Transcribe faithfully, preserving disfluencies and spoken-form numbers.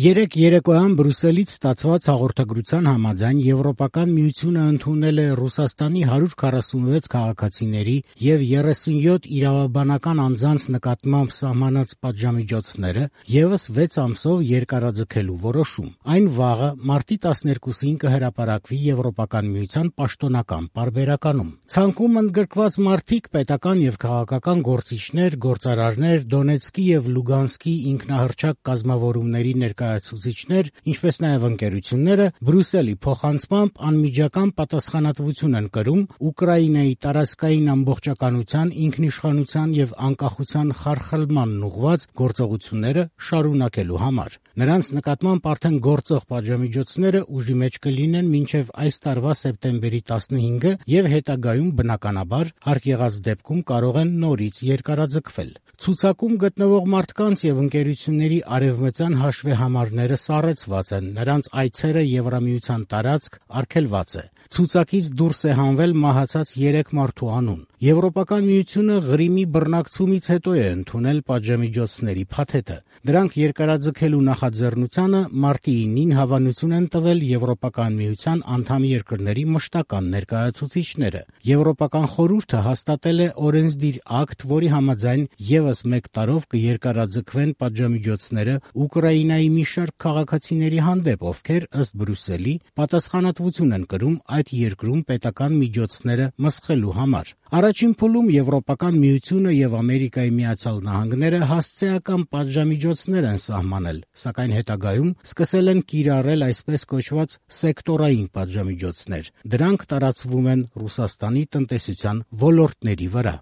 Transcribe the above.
Երեկ երեկոյան Բրյուսելից ստացված հաղորդագրության համաձայն Եվրոպական միությունը ընդունել է Ռուսաստանի հարյուր քառասունվեց քաղաքացիների և երեսունյոթ իրավաբանական անձանց նկատմամբ սահմանած պատժամիջոցները ևս վեց ամսով երկարաձգելու որոշում։ Այն վաղը մարտի տասներկուսին կհրապարակվի Եվրոպական միության պաշտոնական պարբերականում։ Ցանկում ընդգրկված մարդիկ, պետական և քաղաքական գործիչներ, գործարարներ, Դոնեցկի և Լուգանսկի ինքնահռչակ կազմավորումների ներկայացուցիչներ, ինչպես նաև ընկերությունները Բրյուսելի փոխանցմամբ անմիջական պատասխանատվություն են կրում Ուկրաինայի տարածքային ամբողջականության, ինքնիշխանության և անկախության խարխլմանն ուղղված գործողությունները շարունակելու համար։ Նրանց նկատմամբ արդեն գործող պատժամիջոցները ուժի մեջ կլինեն մինչև այս տարվա սեպտեմբերի տասնհինգը և հետագայում, բնականաբար, հարկ եղած դեպքում կարող են նորից երկարաձգվել։ Ցուցակում գտնվող մարդկանց և ընկերությունների արևմտյան հաշվեհամարները սառեցված են, նրանց այցերը Եվրամիության տարածք արգելված է։ Ցուցակից դուրս է հանվել մահացած երեք մարդու անուն։ Եվրոպական միությունը Ղրիմի բռնակցումից հետո է ընդունել պատժամիջոցների փաթեթը։ Դրանք երկարաձգելու նախաձեռնությանը մարտի ինին հավանություն են տվել Եվրոպական միության անդամ երկրների մշտական ներկայացուցիչները։ Եվրոպական խորհուրդը հաստատել է օրենսդիր ակտ, որի համաձայն ևս մեկ տարով կերկարաձգվեն պատժամիջոցները Ուկրաինայի մի շարք քաղաքացիների հանդեպ, ովքեր, ըստ Բրյուսելի, պատասխանատվություն են կրում այդ երկրում պետական միջոցները մսխելու համար։ Առաջին փուլում Եվրոպական միությունը և Ամերիկայի Միացյալ Նահանգները հասցեական պատժամիջոցներ են սահմանել, սակայն հետագայում սկսել են կիրառել այսպես կոչված սեկտորային պատժամիջոցներ։ Դրանք տարածվում են Ռուսաստանի տնտեսության ոլորտների վրա։